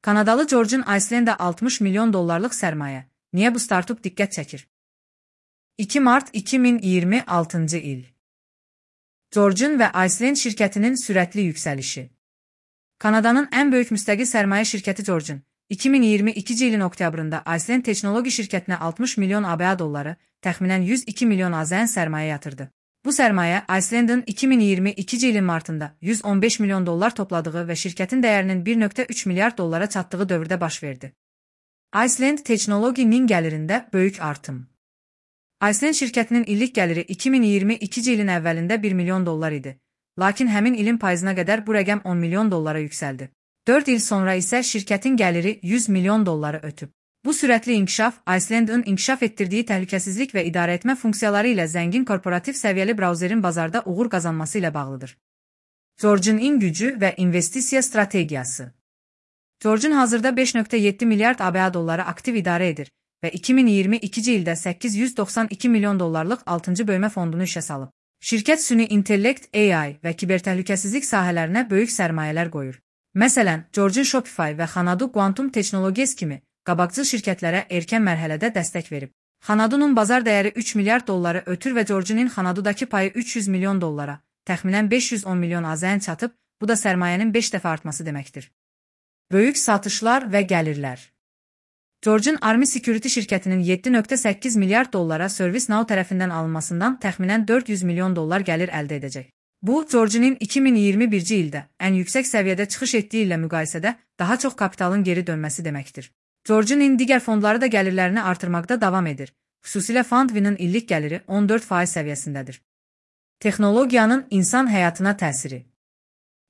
Kanadalı George'un Iceland'e 60 milyon dollarlıq sərmayə. Niyə bu startup diqqət çəkir? 2 mart 2026 il. George'un və Iceland şirkətinin sürətli yüksəlişi. Kanadanın ən böyük müstəqil sərmayə şirkəti George'un 2022 ilin oktyabrında Iceland Texnologi şirkətinə 60 milyon ABA dolları, təxminən 102 milyon AZN sərmayə yatırdı. Bu sərmayə Iceland'ın 2022 ilin martında 115 milyon dollar topladığı və şirkətin dəyərinin 1,3 milyard dollara çatdığı dövrdə baş verdi. Iceland Texnologi'nin gəlirində böyük artım. Iceland şirkətinin illik gəliri 2022 ilin əvvəlində 1 milyon dollar idi. Lakin həmin ilin payızına qədər bu rəqəm 10 milyon dollara yüksəldi. 4 il sonra isə şirkətin gəliri 100 milyon dolları ötüb. Bu sürətli inkişaf Iceland'ın inkişaf etdirdiyi təhlükəsizlik və idarəetmə funksiyaları ilə zəngin korporativ səviyyəli brauzerin bazarda uğur qazanması ilə bağlıdır. George'un gücü və investisiya strategiyası. George'un hazırda 5,7 milyard ABA dolları aktiv idarə edir və 2022 ildə 892 milyon dollarlıq 6-cı bölmə fondunu işə salıb. Şirkət süni intellekt, AI və kibertəhlükəsizlik sahələrinə böyük sərmayələr qoyur. Məsələn, George'un Shopify və Xanadu Quantum Technologies kimi qabaqcıl şirkətlərə erkən mərhələdə dəstək verib. Xanadu'nun bazar dəyəri 3 milyard dolları ötür və George'un Xanadu'dakı payı 300 milyon dollara, təxminən 510 milyon AZN çatıb, bu da sərmayənin 5 dəfə artması deməkdir. Böyük satışlar və gəlirlər. George'un Army Security şirkətinin 7,8 milyard dollara ServiceNow tərəfindən alınmasından təxminən 400 milyon dollar gəlir əldə edəcək. Bu, George'un 2021-ci ildə ən yüksək səviyyədə çıxış etdiyi ilə müqayisədə daha çox kapitalın geri dönməsi deməkdir. George'un digər fondları da gəlirlərini artırmaqda davam edir. Xüsusilə FundV'nin illik gəliri 14% səviyyəsindədir. Texnologiyanın insan həyatına təsiri.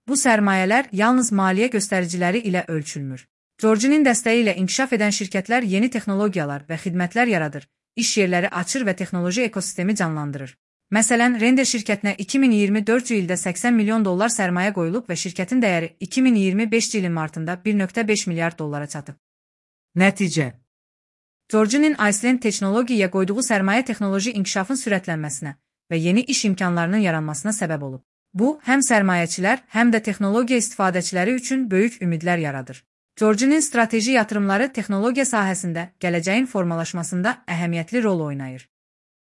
Bu sərmayələr yalnız maliyyə göstəriciləri ilə ölçülmür. George'un dəstəyi ilə inkişaf edən şirkətlər yeni texnologiyalar və xidmətlər yaradır, iş yerləri açır və texnoloji ekosistemi canlandırır. Məsələn, Render şirkətinə 2024 ildə 80 milyon dollar sərmayə qoyulub və şirkətin dəyəri 2025 ilin martında 1,5 milyard dollara çatıb. Nəticə. George'un Iceland Texnologiya qoyduğu sərmayə texnoloji inkişafın sürətlənməsinə və yeni iş imkanlarının yaranmasına səbəb olub. Bu, həm sərmayəçilər, həm də texnologiya istifadəçiləri üçün böyük ümidlər yaradır. George'un strateji yatırımları texnologiya sahəsində gələcəyin formalaşmasında əhəmiyyətli rol oynayır.